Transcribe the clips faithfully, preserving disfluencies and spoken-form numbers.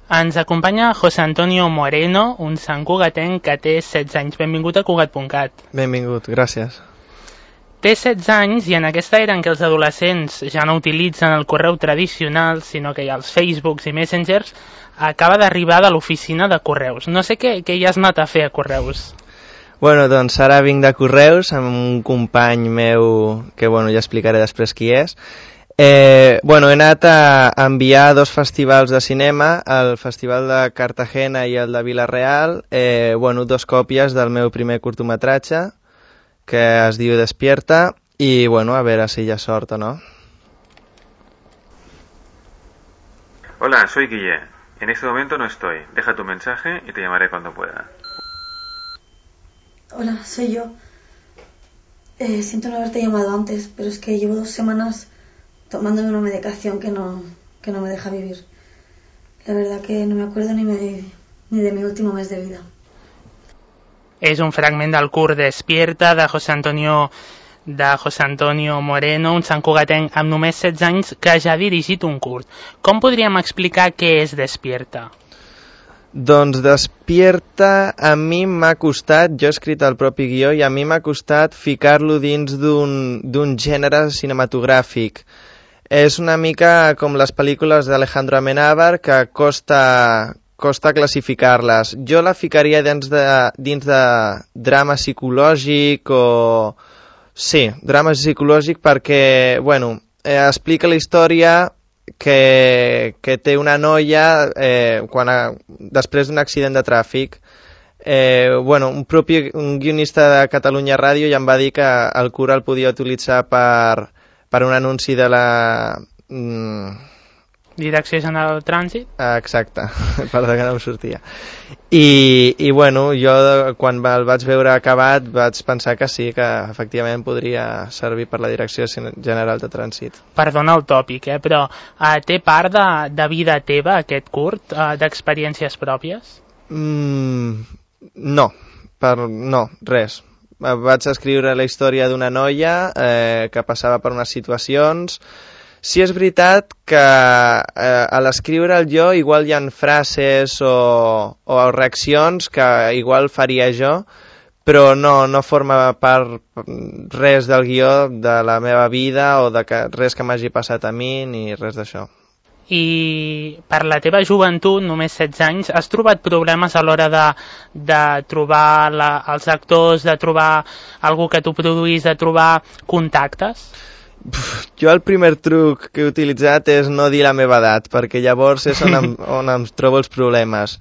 Ens acompanya José Antonio Moreno, un santcugatenc que té setze anys. Benvingut a Cugat punt cat. Benvingut, gràcies. Té setze anys i en aquesta era en què els adolescents ja no utilitzen el correu tradicional, sinó que hi ha els Facebooks i Messengers, acaba d'arribar de l'oficina de Correus. No sé què, què hi has anat a fer a Correus. Bueno, doncs ara vinc de Correus amb un company meu que, bueno, ja explicaré després qui és. Eh, bueno, he anat a enviar dos festivals de cinema, el Festival de Cartagena i el de Vila-real, eh, bueno, dos còpies del meu primer curtometratge, que es diu Despierta, i bueno, a veure si hi ha sort o no. Hola, soy Guille. En este momento no estoy. Deja tu mensaje y te llamaré cuando pueda. Hola, soy yo. Eh, siento no haberte llamado antes, pero es que llevo dos semanas tomándome una medicación que no, que no me deja vivir. La verdad que no me acuerdo ni, me, ni de mi último mes de vida. És un fragment del curt Despierta de José Antonio, de José Antonio Moreno, un santcugatenc amb només setze anys que ja ha dirigit un curt. Com podríem explicar què és Despierta? Doncs Despierta a mi m'ha costat, jo he escrit el propi guió, i a mi m'ha costat ficar-lo dins d'un d'un gènere cinematogràfic. És una mica com les pel·lícules d'Alejandro Amenábar, que costa, costa classificar-les. Jo la ficaria dins de, dins de drama psicològic o... Sí, drama psicològic perquè, bueno, eh, explica la història que, que té una noia eh, quan a, després d'un accident de tràfic. Eh, bueno, un, propi, un guionista de Catalunya Ràdio ja em va dir que el cura el podia utilitzar per, per un anunci de la... Mm, Direcció General de Trànsit? Exacte, perdó que no em sortia. I, i bueno, jo quan el vaig veure acabat vaig pensar que sí, que efectivament podria servir per la Direcció General de Trànsit. Perdona el tòpic, eh, però eh, té part de, de vida teva aquest curt, eh, d'experiències pròpies? Mm, no, per, no, res. Vaig escriure la història d'una noia eh, que passava per unes situacions. Sí, és veritat que eh, a l'escriure el jo igual hi ha frases o, o reaccions que igual faria jo, però no, no forma part res del guió de la meva vida o de que, res que m'hagi passat a mi ni res d'això. I per la teva joventut, només setze anys, has trobat problemes a l'hora de, de trobar la, els actors, de trobar algú que t'ho produís, de trobar contactes? Jo el primer truc que he utilitzat és no dir la meva edat, perquè llavors és on em, on em trobo els problemes.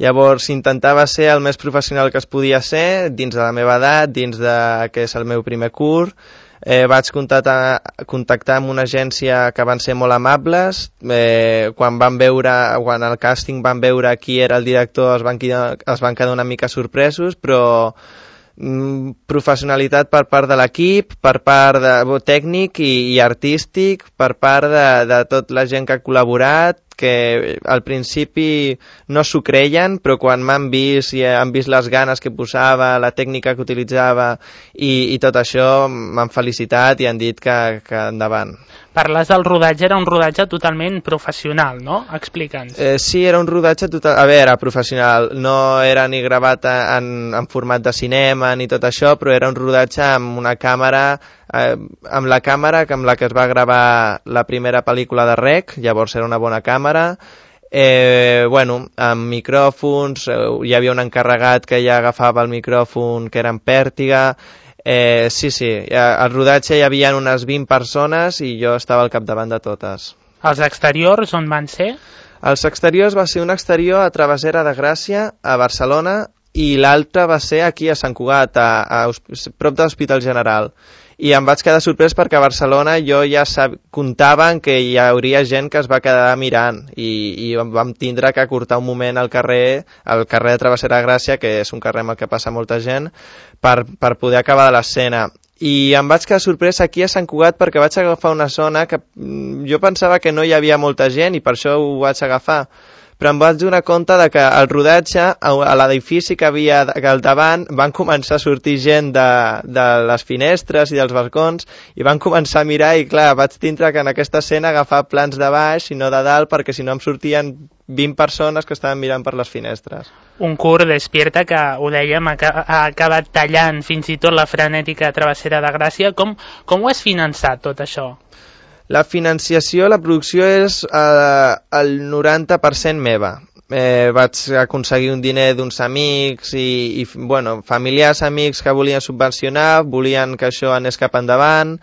Llavors intentava ser el més professional que es podia ser, dins de la meva edat, dins de que és el meu primer curt. Eh, vaig contactar, contactar amb una agència que van ser molt amables. Eh, quan van veure, quan al càsting van veure qui era el director, es van, es van quedar una mica sorpresos, però professionalitat per part de l'equip, per part de tècnic i, i artístic, per part de, de tota la gent que ha col·laborat, que al principi no s'ho creien, però quan m'han vist i han vist les ganes que posava, la tècnica que utilitzava i, i tot això, m'han felicitat i han dit que, que endavant. Parles del rodatge, era un rodatge totalment professional, no? Explica'ns. Eh, sí, era un rodatge total... A veure, professional, no era ni gravat en, en format de cinema ni tot això, però era un rodatge amb una càmera, eh, amb la càmera amb la que es va gravar la primera pel·lícula de Rec, llavors era una bona càmera, eh, bueno, amb micròfons, eh, hi havia un encarregat que ja agafava el micròfon que era en pèrtiga. Eh, sí, sí, al rodatge hi havia unes vint persones i jo estava al capdavant de totes. Els exteriors on van ser? Els exteriors va ser un exterior a Travessera de Gràcia, a Barcelona, i l'altre va ser aquí a Sant Cugat, a, a, a prop de l'Hospital General. I em vaig quedar sorprès perquè a Barcelona jo ja sab... comptaven que hi hauria gent que es va quedar mirant i, i vam tindre que acurtar un moment al carrer, al carrer de Travessera de Gràcia, que és un carrer amb el que passa molta gent, per, per poder acabar de l'escena. I em vaig quedar sorprès aquí a Sant Cugat perquè vaig agafar una zona que jo pensava que no hi havia molta gent i per això ho vaig agafar. Però em vaig donar compte de que al rodatge, a l'edifici que havia al davant, van començar a sortir gent de, de les finestres i dels balcons i van començar a mirar i clar, vaig tindre que en aquesta escena agafar plans de baix i no de dalt perquè si no em sortien vint persones que estaven mirant per les finestres. Un curt Despierta que, ho dèiem, ha acabat tallant fins i tot la frenètica travessera de Gràcia. Com, com ho has finançat, tot això? La financiació, la producció és eh, el noranta per cent meva. Eh, vaig aconseguir un diner d'uns amics i, i bueno, familiars, amics que volien subvencionar, volien que això anés cap endavant,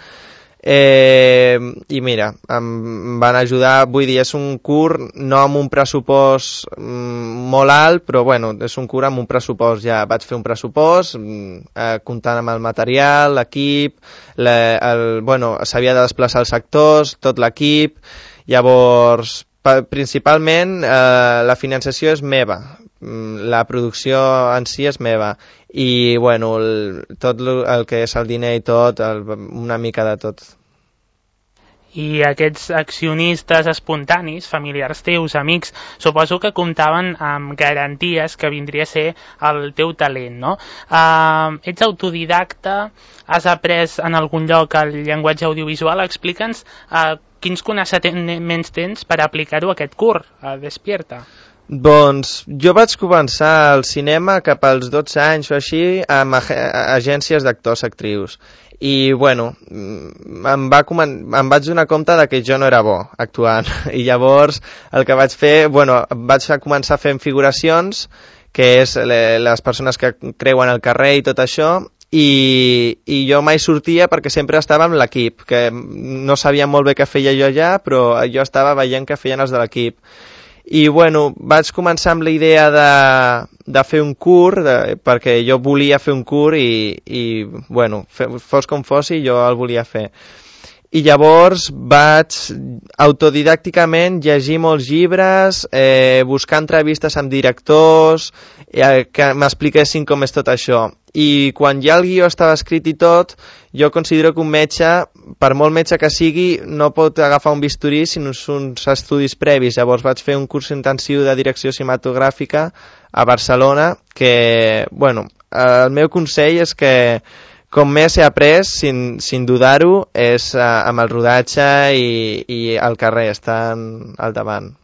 eh, i mira, em van ajudar. Vull dir, és un curt no amb un pressupost mm, molt alt, però bueno, és un curt amb un pressupost. Ja vaig fer un pressupost eh, comptant amb el material, l'equip, la, el, bueno, s'havia de desplaçar els actors, tot l'equip. Llavors, principalment eh, la financiació és meva, la producció en si és meva i bueno, el, tot el que és el diner i tot, el, una mica de tot. I aquests accionistes espontanis, familiars teus, amics, suposo que comptaven amb garanties que vindria a ser el teu talent, no? Uh, ets autodidacta, has après en algun lloc el llenguatge audiovisual, explica'ns uh, quins coneixements tens per aplicar-ho a aquest curt, a Despierta? Doncs jo vaig començar al cinema cap als dotze anys o així amb ag agències d'actors-actrius i bueno, em, va em vaig donar compte de que jo no era bo actuant i llavors el que vaig fer, bueno, vaig començar fent figuracions, que és les persones que creuen el carrer i tot això. I, i jo mai sortia perquè sempre estava amb l'equip, que no sabia molt bé què feia jo allà, però jo estava veient què feien els de l'equip. I bueno, vaig començar amb la idea de, de fer un curt, de, perquè jo volia fer un curt i, i bueno, fos com fos, jo el volia fer. I llavors vaig autodidàcticament llegir molts llibres, eh, buscar entrevistes amb directors, eh, que m'expliquessin com és tot això. I quan ja el guió estava escrit i tot, jo considero que un metge, per molt metge que sigui, no pot agafar un bisturí sinó uns estudis previs. Llavors vaig fer un curs intensiu de direcció cinematogràfica a Barcelona, que, bueno, el meu consell és que com més he après, sin, sin dudar-ho, és uh, amb el rodatge i, i al carrer, estan al davant.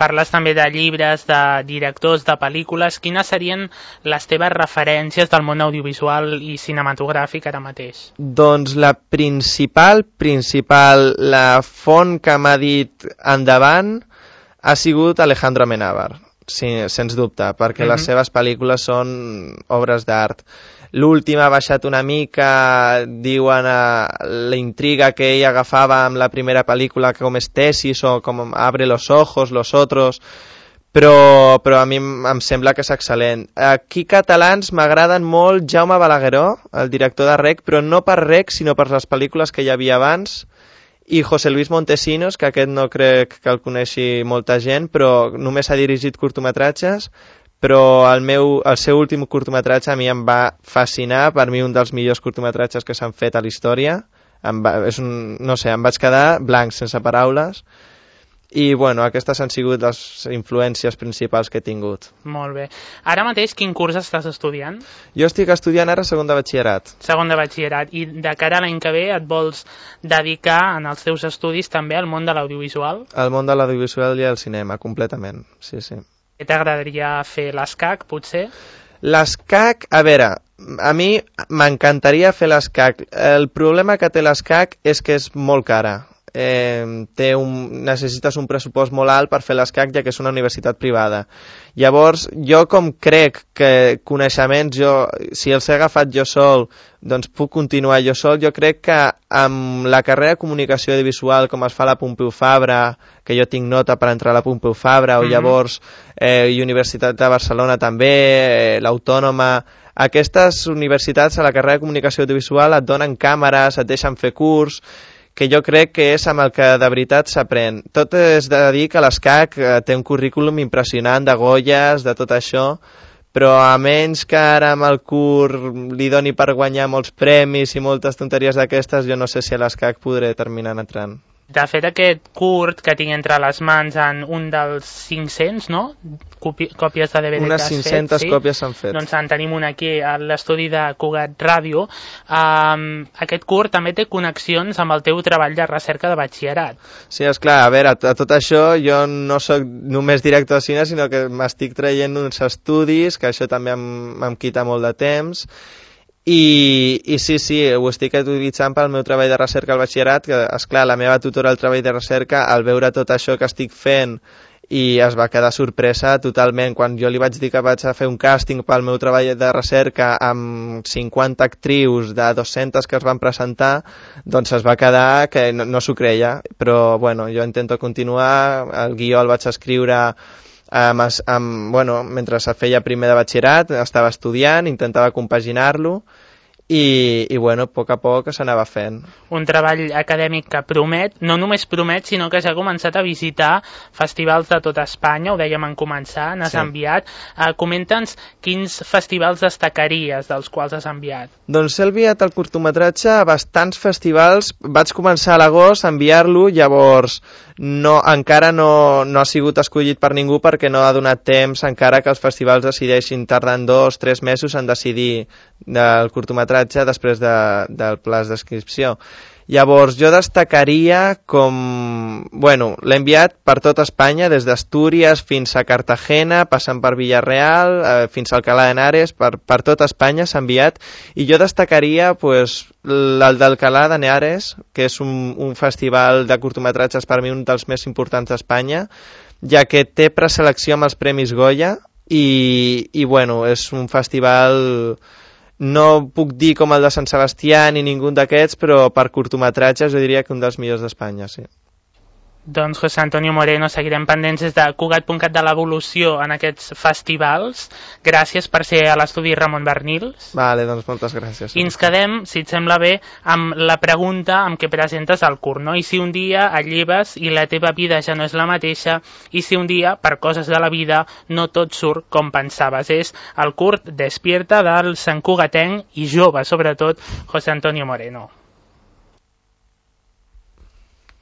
Parles també de llibres, de directors, de pel·lícules. Quines serien les teves referències del món audiovisual i cinematogràfic ara mateix? Doncs la principal, principal, la font que m'ha dit endavant ha sigut Alejandro Amenábar, sí, sens dubte, perquè mm-hmm. les seves pel·lícules són obres d'art. L'última ha baixat una mica, diuen a la intriga que ell agafava amb la primera pel·lícula com és Tesis o com Abre los ojos, Los otros, però, però a mi em sembla que és excel·lent. Aquí catalans m'agraden molt Jaume Balagueró, el director de Rec, però no per Rec, sinó per les pel·lícules que hi havia abans, i José Luis Montesinos, que aquest no crec que el coneixi molta gent, però només ha dirigit curtmetratges, però el, meu, el seu últim curtmetratge a mi em va fascinar, per mi un dels millors curtmetratges que s'han fet a la història. Em va, és un, no sé, em vaig quedar blanc, sense paraules, i bueno, aquestes han sigut les influències principals que he tingut. Molt bé. Ara mateix quin curs estàs estudiant? Jo estic estudiant ara segon de batxillerat. Segon de batxillerat. I de cara a l'any que ve et vols dedicar en els teus estudis també al món de l'audiovisual? Al món de l'audiovisual i al cinema, completament, sí, sí. T'agradaria fer l'escac, potser? L'escac, a veure, a mi m'encantaria fer l'escac. El problema que té l'escac és que és molt cara. Eh, té un, necessites un pressupost molt alt per fer l'escac, ja que és una universitat privada. Llavors, jo com crec que coneixements, jo, si els he agafat jo sol, doncs puc continuar jo sol, jo crec que amb la carrera de comunicació audiovisual, com es fa a la Pompeu Fabra, que jo tinc nota per entrar a la Pompeu Fabra, o mm-hmm. llavors eh, i Universitat de Barcelona també, eh, l'Autònoma, aquestes universitats a la carrera de comunicació audiovisual et donen càmeres, et deixen fer curs, que jo crec que és amb el que de veritat s'aprèn. Tot és de dir que l'escac té un currículum impressionant de Goyes, de tot això, però a menys que ara amb el curt li doni per guanyar molts premis i moltes tonteries d'aquestes, jo no sé si a l'escac podré terminar entrant. De fet, aquest curt que tinc entre les mans en un dels cinc-cents, no? Copi còpies de D V D Unes que has cinc-centes fet, sí? còpies s'han fet. Doncs en tenim una aquí a l'estudi de Cugat Ràdio. Um, aquest curt també té connexions amb el teu treball de recerca de batxillerat. Sí, esclar, a veure, a tot això jo no sóc només director de cine, sinó que m'estic traient uns estudis, que això també em, em quita molt de temps. I, i sí, sí, ho estic utilitzant pel meu treball de recerca al batxillerat, que, esclar, la meva tutora al treball de recerca, al veure tot això que estic fent, i es va quedar sorpresa totalment. Quan jo li vaig dir que vaig a fer un càsting pel meu treball de recerca amb cinquanta actrius de dues-centes que es van presentar, doncs es va quedar que no, no s'ho creia. Però, bueno, jo intento continuar, el guió el vaig escriure Amb, amb, bueno, mentre es feia primer de batxillerat, estava estudiant, intentava compaginar-lo i, i bueno, a poc a poc s'anava fent. Un treball acadèmic que promet, no només promet, sinó que ja ha començat a visitar festivals de tota Espanya, ho dèiem en començar, n'has sí. enviat. Uh, Comenta'ns quins festivals destacaries dels quals has enviat. Doncs he enviat el curtometratge a bastants festivals, vaig començar a l'agost a enviar-lo, llavors no, encara no, no ha sigut escollit per ningú perquè no ha donat temps encara que els festivals decideixin, tardant dos, tres mesos en decidir del curtometratge després de, del pla d'inscripció. Llavors jo destacaria com... Bueno, l'he enviat per tot Espanya, des d'Astúries fins a Cartagena, passant per Villarreal, eh, fins a Alcalá de Henares, per, per tot Espanya s'ha enviat, i jo destacaria pues, el d'Alcalá de Henares, que és un, un festival de curtometratges per mi un dels més importants d'Espanya, ja que té preselecció amb els Premis Goya, i, i bueno, és un festival... No puc dir com el de Sant Sebastià ni ningú d'aquests, però per curtometratges jo diria que un dels millors d'Espanya, sí. Doncs José Antonio Moreno, seguirem pendents des de Cugat punt cat de l'evolució en aquests festivals. Gràcies per ser a l'estudi Ramon Bernils. Vale, doncs moltes gràcies. I ens quedem, si et sembla bé, amb la pregunta amb què presentes el curt, no? I si un dia et lleves i la teva vida ja no és la mateixa, i si un dia, per coses de la vida, no tot surt com pensaves. És el curt Despierta del santcugatenc i jove, sobretot, José Antonio Moreno.